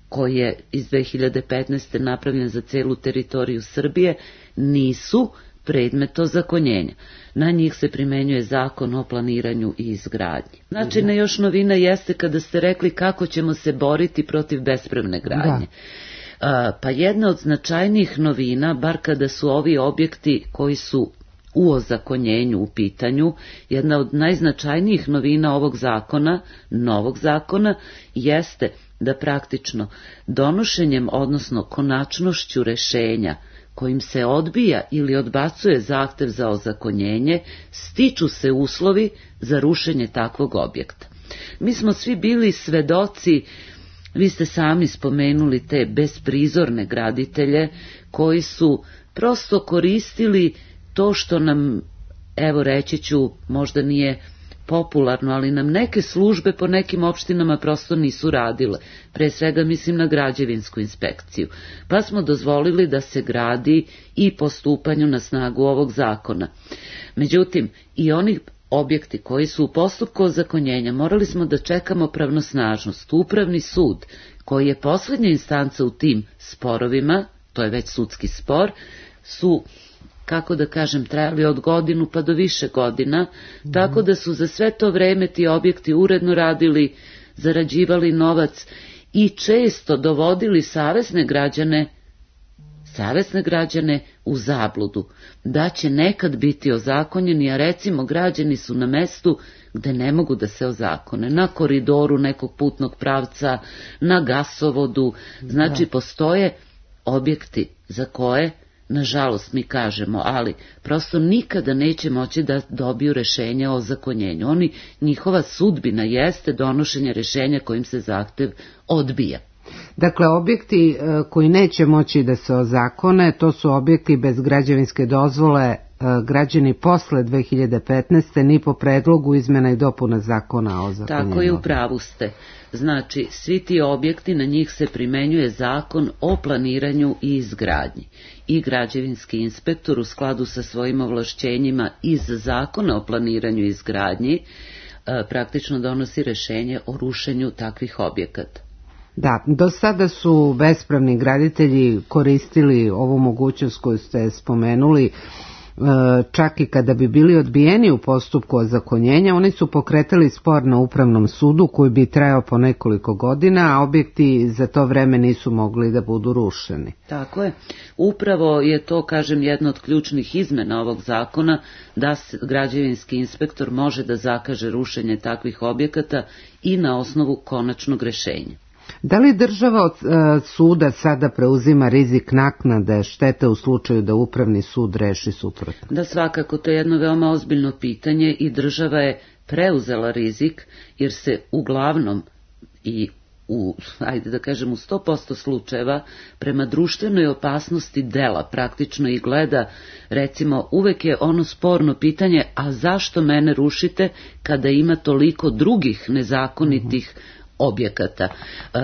koji je iz dve hiljade petnaeste. napravljen za celu teritoriju Srbije, nisu predmet ozakonjenja. Na njih se primenjuje zakon o planiranju i izgradnji. Znači, na još novina jeste kada ste rekli kako ćemo se boriti protiv bespravne gradnje. A, pa jedna od značajnijih novina, bar kada su ovi objekti koji su u ozakonjenju u pitanju, jedna od najznačajnijih novina ovog zakona, novog zakona, jeste da praktično donošenjem, odnosno konačnošću rešenja kojim se odbija ili odbacuje zahtev za ozakonjenje, stiču se uslovi za rušenje takvog objekta. Mi smo svi bili svedoci, vi ste sami spomenuli te besprizorne graditelje koji su prosto koristili to što nam, evo reći ću, možda nije popularno, ali nam neke službe po nekim opštinama prosto nisu radile. Pre svega mislim na građevinsku inspekciju. Pa smo dozvolili da se gradi i po stupanju na snagu ovog zakona. Međutim, i oni objekti koji su u postupku ozakonjenja morali smo da čekamo pravnosnažnost. Upravni sud, koji je poslednja instanca u tim sporovima, to je već sudski spor, su, kako da kažem, trajali od godinu pa do više godina, mm. tako da su za sve to vreme ti objekti uredno radili, zarađivali novac i često dovodili savesne građane, savesne građane u zabludu, da će nekad biti ozakonjeni, a recimo građani su na mestu gde ne mogu da se ozakone, na koridoru nekog putnog pravca, na gasovodu, znači da. Postoje objekti za koje, nažalost mi kažemo, ali prosto nikada neće moći da dobiju rešenje o ozakonjenju. Oni, njihova sudbina jeste donošenje rešenja kojim se zahtev odbija. Dakle, objekti koji neće moći da se ozakone, to su objekti bez građevinske dozvole građani posle dve hiljade petnaeste. ni po predlogu izmena i dopuna zakona o ozakonjenju. Tako je, u pravu ste. Znači, svi ti objekti, na njih se primenjuje zakon o planiranju i izgradnji. I građevinski inspektor u skladu sa svojim ovlašćenjima iz zakona o planiranju i izgradnji praktično donosi rešenje o rušenju takvih objekata. Da, do sada su bespravni graditelji koristili ovu mogućnost koju ste spomenuli, čak i kada bi bili odbijeni u postupku ozakonjenja, oni su pokretali spor na upravnom sudu koji bi trajao po nekoliko godina, a objekti za to vreme nisu mogli da budu rušeni. Tako je. Upravo je to, kažem, jedna od ključnih izmena ovog zakona, da građevinski inspektor može da zakaže rušenje takvih objekata i na osnovu konačnog rešenja. Da li država od e, suda sada preuzima rizik naknade štete u slučaju da upravni sud reši suprotno? Da, svakako, to je jedno veoma ozbiljno pitanje i država je preuzela rizik jer se uglavnom i u, ajde da kažem, u sto posto slučajeva prema društvenoj opasnosti dela praktično i gleda, recimo, uvek je ono sporno pitanje, a zašto mene rušite kada ima toliko drugih nezakonitih objekata. E,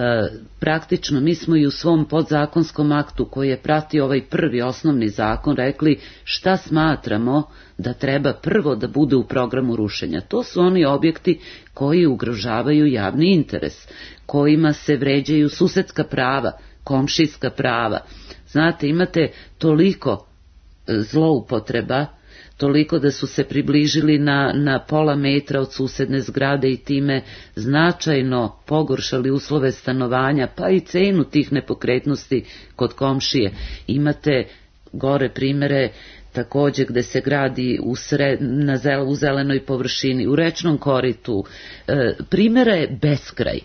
praktično mi smo i u svom podzakonskom aktu koji je pratio ovaj prvi osnovni zakon rekli šta smatramo da treba prvo da bude u programu rušenja. To su oni objekti koji ugrožavaju javni interes, kojima se vređaju susedska prava, komšijska prava. Znate, imate toliko zloupotreba, toliko da su se približili na, na pola metra od susedne zgrade i time značajno pogoršali uslove stanovanja, pa i cenu tih nepokretnosti kod komšije. Imate gore primere takođe gde se gradi u, sred, na zel, u zelenoj površini, u rečnom koritu. E, primera je beskraj.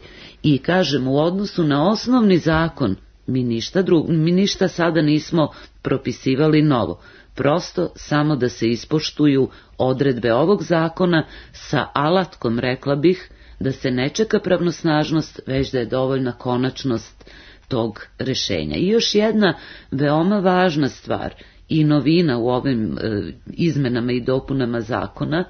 I kažem, u odnosu na osnovni zakon mi ništa, drug, mi ništa sada nismo propisivali novo. Prosto samo da se ispoštuju odredbe ovog zakona sa alatkom, rekla bih, da se ne čeka pravnosnažnost, već da je dovoljna konačnost tog rešenja. I još jedna veoma važna stvar i novina u ovim e, izmenama i dopunama zakona,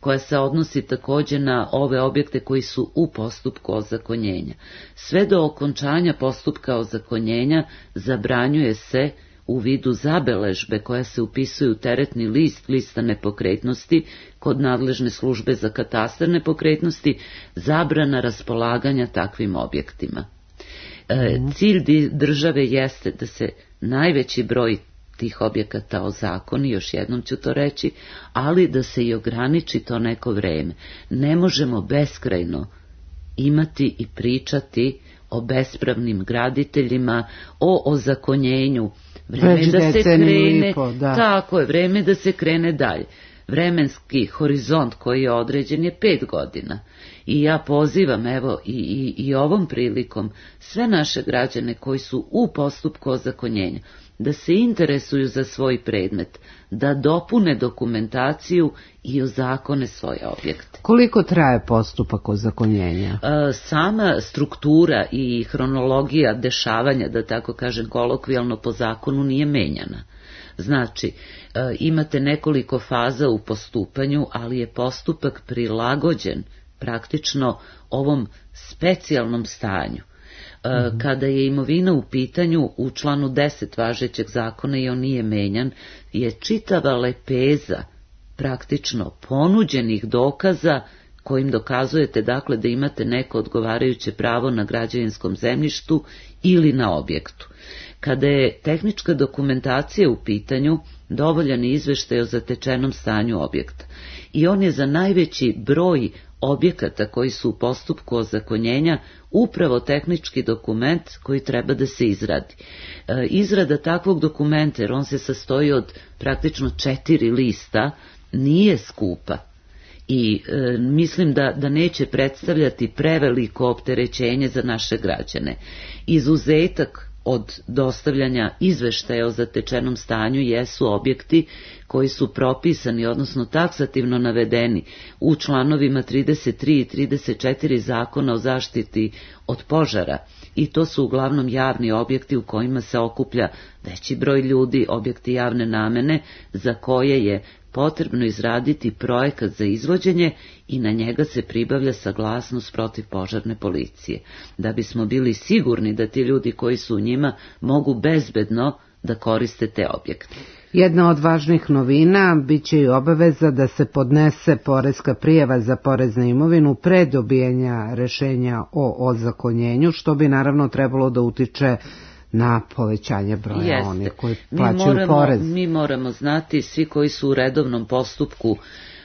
koja se odnosi takođe na ove objekte koji su u postupku ozakonjenja. Sve do okončanja postupka ozakonjenja zabranjuje se u vidu zabeležbe koja se upisuje u teretni list lista nepokretnosti kod nadležne službe za katastar nepokretnosti zabrana raspolaganja takvim objektima. E, cilj države jeste da se najveći broj tih objekata ozakoni, još jednom ću to reći, ali da se i ograniči to neko vreme. Ne možemo beskrajno imati i pričati o bespravnim graditeljima, o ozakonjenju. Vreme da se krene, po, da. Tako je, vreme da se krene dalje. Vremenski horizont koji je određen je pet godina. I ja pozivam, evo, i, i, i ovom prilikom sve naše građane koji su u postupku ozakonjenja, da se interesuju za svoj predmet, da dopune dokumentaciju i ozakone svoje objekte. Koliko traje postupak ozakonjenja? E, sama struktura i hronologija dešavanja, da tako kažem kolokvijalno, po zakonu nije menjana. Znači, e, imate nekoliko faza u postupanju, ali je postupak prilagođen praktično ovom specijalnom stanju. Mm-hmm. Kada je imovina u pitanju, u članu deset važećeg zakona, i on nije menjan, je čitava lepeza praktično ponuđenih dokaza kojim dokazujete, dakle, da imate neko odgovarajuće pravo na građevinskom zemljištu ili na objektu. Kada je tehnička dokumentacija u pitanju, dovoljan je izveštaj o zatečenom stanju objekta. I on je za najveći broj objekata koji su u postupku ozakonjenja upravo tehnički dokument koji treba da se izradi. E, izrada takvog dokumenta, jer on se sastoji od praktično četiri lista, nije skupa. I e, mislim da, da neće predstavljati preveliko opterećenje za naše građane. Izuzetak od dostavljanja izveštaja o zatečenom stanju jesu objekti koji su propisani, odnosno taksativno navedeni u članovima trideset tri i trideset četiri Zakona o zaštiti od požara, i to su uglavnom javni objekti u kojima se okuplja veći broj ljudi, objekti javne namene za koje je potrebno izraditi projekat za izvođenje i na njega se pribavlja saglasnost protiv požarne policije, da bismo bili sigurni da ti ljudi koji su u njima mogu bezbedno da koriste te objekte. Jedna od važnih novina biće i obaveza da se podnese poreska prijava za porez na imovinu pre dobijanja rešenja o ozakonjenju, što bi naravno trebalo da utiče na povećanje broja Jeste. onih koji plaćaju mi moramo, porez. Mi moramo znati, svi koji su u redovnom postupku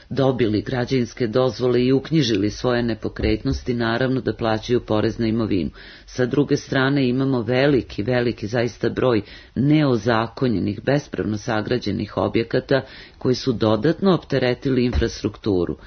dobili građevinske dozvole i uknjižili svoje nepokretnosti, naravno da plaćaju porez na imovinu. Sa druge strane imamo veliki, veliki zaista broj neozakonjenih, bespravno sagrađenih objekata koji su dodatno opteretili infrastrukturu.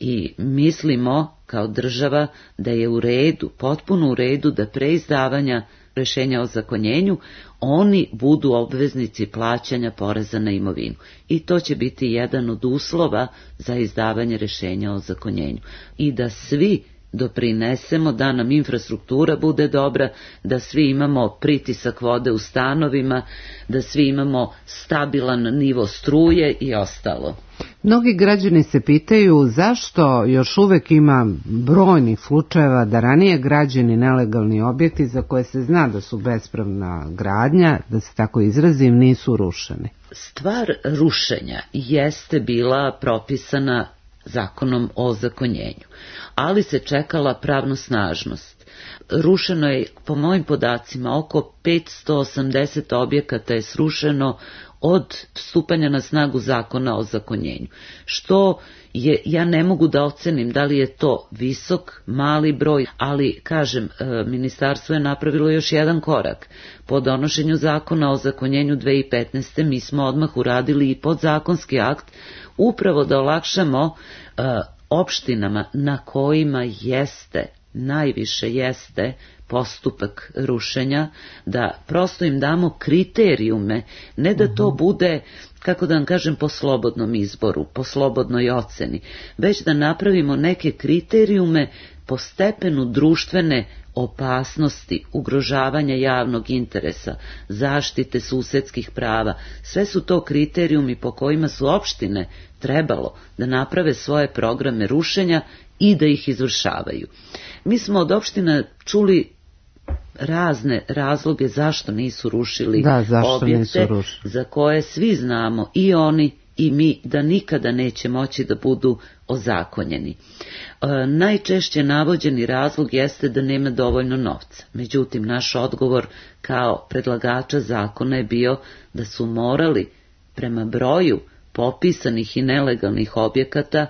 i mislimo kao država da je u redu, potpuno u redu da pre izdavanja rešenja o zakonjenju oni budu obveznici plaćanja poreza na imovinu. I to će biti jedan od uslova za izdavanje rešenja o zakonjenju. I da svi doprinesemo da nam infrastruktura bude dobra, da svi imamo pritisak vode u stanovima, da svi imamo stabilan nivo struje i ostalo. Mnogi građani se pitaju zašto još uvek ima brojnih slučajeva da ranije građeni nelegalni objekti za koje se zna da su bespravna gradnja, da se tako izrazim, nisu rušeni. Stvar rušenja jeste bila propisana zakonom o zakonjenju, ali se čekala pravnosnažnost. Rušeno je, po mojim podacima, oko petsto osamdeset objekata je srušeno od stupanja na snagu zakona o zakonjenju, što je, ja ne mogu da ocenim da li je to visok, mali broj, ali kažem, ministarstvo je napravilo još jedan korak. Po donošenju zakona o zakonjenju dve hiljade petnaeste. mi smo odmah uradili i podzakonski akt, upravo da olakšamo uh, opštinama na kojima jeste, najviše jeste postupak rušenja, da prosto im damo kriterijume, ne da to bude, kako da vam kažem, po slobodnom izboru, po slobodnoj oceni, već da napravimo neke kriterijume po stepenu društvene opasnosti, ugrožavanja javnog interesa, zaštite susedskih prava. Sve su to kriterijumi po kojima su opštine trebalo da naprave svoje programe rušenja i da ih izvršavaju. Mi smo od opština čuli razne razloge zašto nisu rušili da, zašto objekte nisu rušili. Za koje svi znamo, i oni i mi, da nikada neće moći da budu ozakonjeni. E, najčešće navođeni razlog jeste da nema dovoljno novca. Međutim, naš odgovor kao predlagača zakona je bio da su morali prema broju popisanih i nelegalnih objekata,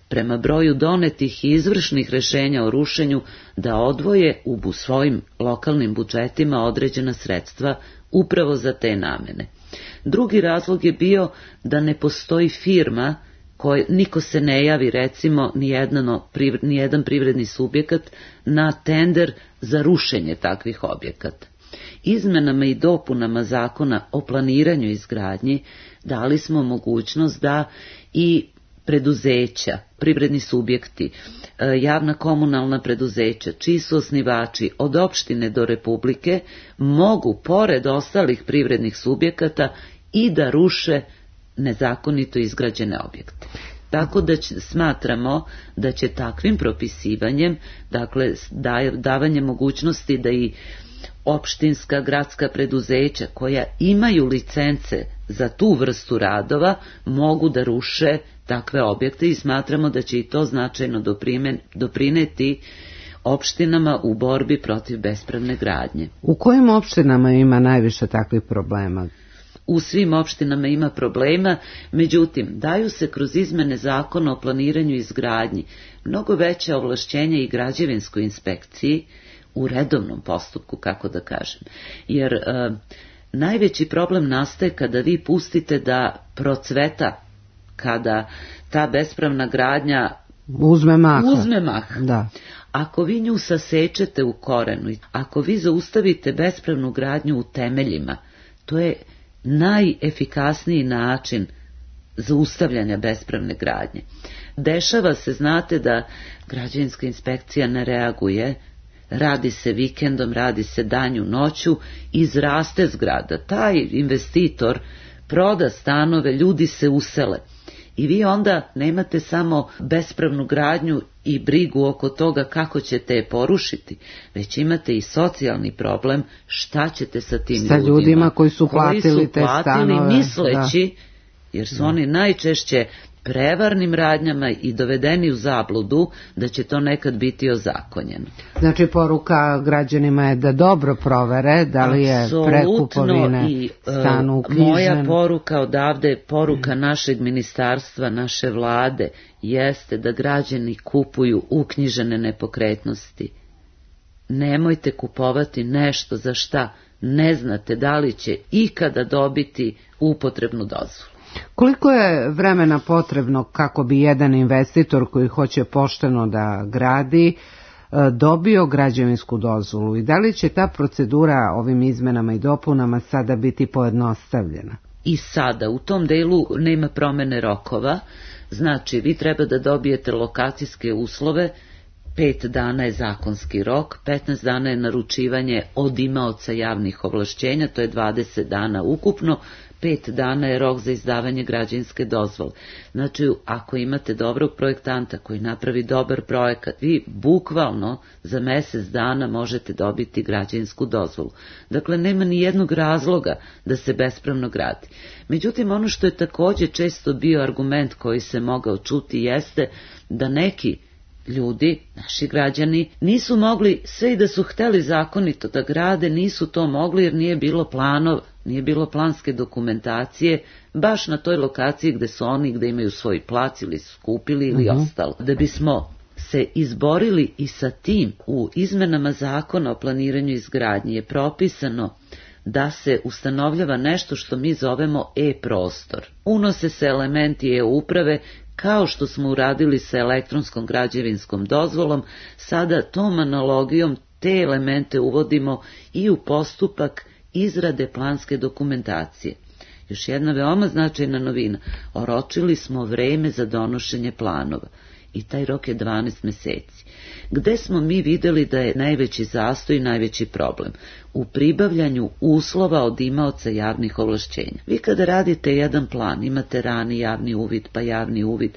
prema broju donetih i izvršnih rešenja o rušenju, da odvoje u svojim lokalnim budžetima određena sredstva upravo za te namene. Drugi razlog je bio da ne postoji firma, koje, niko se ne javi, recimo, nijedno, nijedan privredni subjekat na tender za rušenje takvih objekata. Izmenama i dopunama zakona o planiranju i izgradnji dali smo mogućnost da i preduzeća, privredni subjekti, javna komunalna preduzeća, čiji su osnivači od opštine do republike, mogu, pored ostalih privrednih subjekata, i da ruše nezakonito izgrađene objekte. Tako da će, smatramo da će takvim propisivanjem, dakle davanje mogućnosti da i opštinska, gradska preduzeća koja imaju licence za tu vrstu radova mogu da ruše takve objekte, i smatramo da će i to značajno doprineti opštinama u borbi protiv bespravne gradnje. U kojim opštinama ima najviše takvih problema? U svim opštinama ima problema, međutim, daju se kroz izmene zakona o planiranju i izgradnji mnogo veće ovlašćenja i građevinskoj inspekciji u redovnom postupku, kako da kažem. Jer e, najveći problem nastaje kada vi pustite da procveta, kada ta bespravna gradnja uzme maha. Uzme maha. Da. Ako vi nju sasečete u korenu, ako vi zaustavite bespravnu gradnju u temeljima, to je najefikasniji način zaustavljanja bespravne gradnje. Dešava se, znate, da građevinska inspekcija ne reaguje, radi se vikendom, radi se danju, noću, izraste zgrada. Taj investitor proda stanove, ljudi se usele. I vi onda nemate samo bespravnu gradnju i brigu oko toga kako ćete je porušiti, već imate i socijalni problem šta ćete sa tim sa ljudima. ljudima koji su platili koji su te platili stanove. Misleći, da. Jer su da. oni najčešće prevarnim radnjama i dovedeni u zabludu da će to nekad biti ozakonjeno. Znači, poruka građanima je da dobro provere da li je pre kupovine stanu uknjižen. Moja poruka odavde, poruka našeg ministarstva, naše vlade, jeste da građani kupuju uknjižene nepokretnosti. Nemojte kupovati nešto za šta ne znate da li će ikada dobiti upotrebnu dozvolu. Koliko je vremena potrebno kako bi jedan investitor koji hoće pošteno da gradi dobio građevinsku dozvolu i da li će ta procedura ovim izmenama i dopunama sada biti pojednostavljena? I sada u tom delu nema promene rokova, znači vi treba da dobijete lokacijske uslove, pet dana je zakonski rok, petnaest dana je naručivanje od imaoca javnih ovlašćenja, to je dvadeset dana ukupno, pet dana je rok za izdavanje građevinske dozvole. Znači, ako imate dobrog projektanta koji napravi dobar projekat, vi bukvalno za mesec dana možete dobiti građevinsku dozvolu. Dakle, nema ni jednog razloga da se bespravno gradi. Međutim, ono što je takođe često bio argument koji se mogao čuti jeste da neki ljudi, naši građani, nisu mogli, sve i da su hteli zakonito da grade, nisu to mogli jer nije bilo planov, nije bilo planske dokumentacije, baš na toj lokaciji gde su oni, gde imaju svoj plac ili su kupili ili uh-huh. ostalo. Da bismo se izborili i sa tim, u izmenama zakona o planiranju i izgradnji je propisano da se ustanovljava nešto što mi zovemo e-prostor. Unose se elementi e-uprave, kao što smo uradili sa elektronskom građevinskom dozvolom, sada tom analogijom te elemente uvodimo i u postupak izrade planske dokumentacije. Još jedna veoma značajna novina, oročili smo vreme za donošenje planova i taj rok je dvanaest meseci. Gde smo mi videli da je najveći zastoj i najveći problem? U pribavljanju uslova od imaoca javnih ovlašćenja. Vi kada radite jedan plan, imate rani javni uvid, pa javni uvid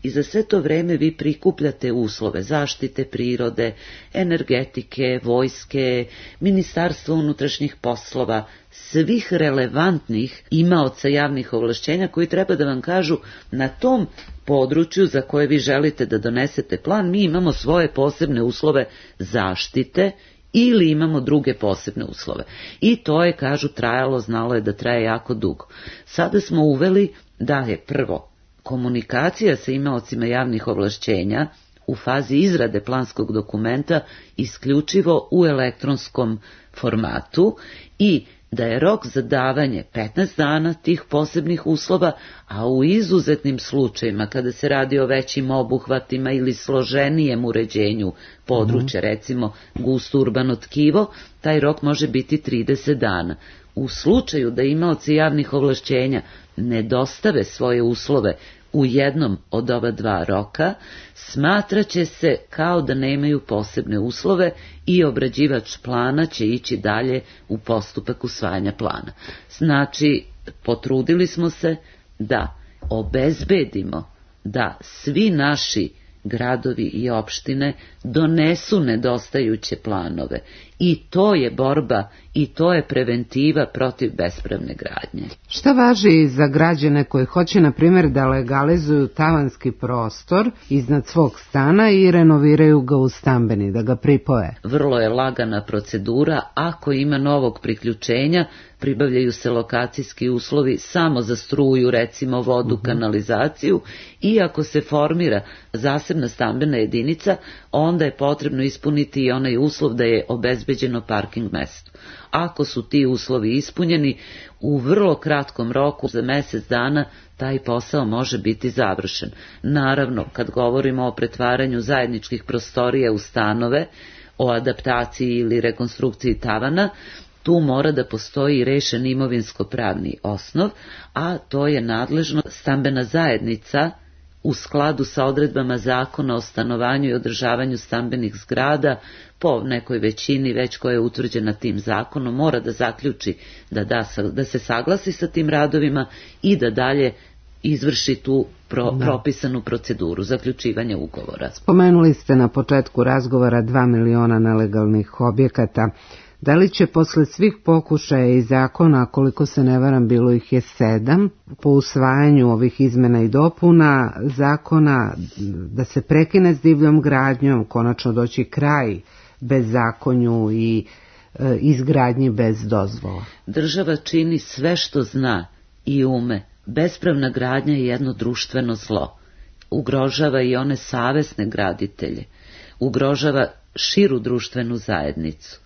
i za sve to vreme vi prikupljate uslove zaštite prirode, energetike, vojske, ministarstva unutrašnjih poslova, svih relevantnih imaoca javnih ovlašćenja koji treba da vam kažu na tom području za koje vi želite da donesete plan, mi imamo svoje posebne uslove zaštite ili imamo druge posebne uslove. I to je, kažu, trajalo, znalo je da traje jako dugo. Sada smo uveli da je prvo komunikacija sa imaocima javnih ovlašćenja u fazi izrade planskog dokumenta isključivo u elektronskom formatu i da je rok za davanje petnaest dana tih posebnih uslova, a u izuzetnim slučajima kada se radi o većim obuhvatima ili složenijem uređenju područja, recimo gusto urbano tkivo, taj rok može biti trideset dana. U slučaju da imaoci javnih ovlašćenja ne dostave svoje uslove u jednom od ova dva roka, smatraće se kao da nemaju posebne uslove i obrađivač plana će ići dalje u postupak usvajanja plana. Znači, potrudili smo se da obezbedimo da svi naši gradovi i opštine donesu nedostajuće planove i to je borba i to je preventiva protiv bespravne gradnje. Šta važi za građane koji hoće, na primjer, da legalizuju tavanski prostor iznad svog stana i renoviraju ga u stambeni, da ga pripoje? Vrlo je lagana procedura, ako ima novog priključenja, pribavljaju se lokacijski uslovi samo za struju, recimo vodu, uh-huh. kanalizaciju, i ako se formira zasebna stambena jedinica, onda je potrebno ispuniti i onaj uslov da je obezbeđeno parking mesto. Ako su ti uslovi ispunjeni, u vrlo kratkom roku, za mesec dana, taj posao može biti završen. Naravno, kad govorimo o pretvaranju zajedničkih prostorija u stanove, o adaptaciji ili rekonstrukciji tavana, tu mora da postoji rešen imovinsko-pravni osnov, a to je nadležno stambena zajednica u skladu sa odredbama zakona o stanovanju i održavanju stambenih zgrada, po nekoj većini već koja je utvrđena tim zakonom, mora da zaključi da, da, da se saglasi sa tim radovima i da dalje izvrši tu pro, da. propisanu proceduru zaključivanja ugovora. Spomenuli ste na početku razgovora dva miliona nelegalnih objekata. Da li će posle svih pokušaja i zakona, koliko se ne varam bilo ih je sedam, po usvajanju ovih izmena i dopuna zakona, da se prekine s divljom gradnjom, konačno doći kraj bezakonju i e, izgradnji bez dozvola? Država čini sve što zna i ume. Bespravna gradnja je jedno društveno zlo. Ugrožava i one savesne graditelje. Ugrožava širu društvenu zajednicu.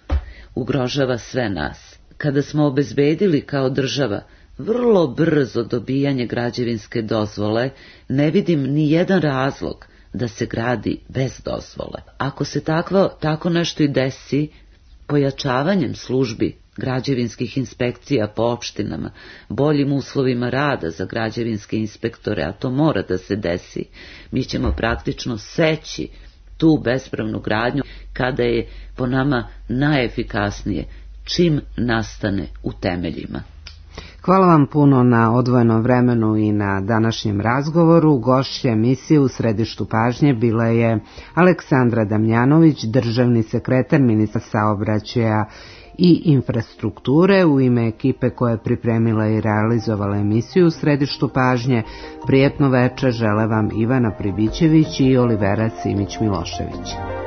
Ugrožava sve nas. Kada smo obezbedili kao država vrlo brzo dobijanje građevinske dozvole, ne vidim ni jedan razlog da se gradi bez dozvole. Ako se takvo, tako nešto i desi, pojačavanjem službi građevinskih inspekcija po opštinama, boljim uslovima rada za građevinske inspektore, a to mora da se desi, mi ćemo praktično seći tu bespravnu gradnju kada je po nama najefikasnije čim nastane u temeljima. Hvala vam puno na odvojenom vremenu i na današnjem razgovoru. Gošća emisije u središtu pažnje bila je Aleksandra Damjanović, državni sekretar Ministarstva saobraćaja i infrastrukture. U ime ekipe koja je pripremila i realizovala emisiju u središtu pažnje, prijetno večer žele vam Ivana Pribićević i Olivera Simić Milošević.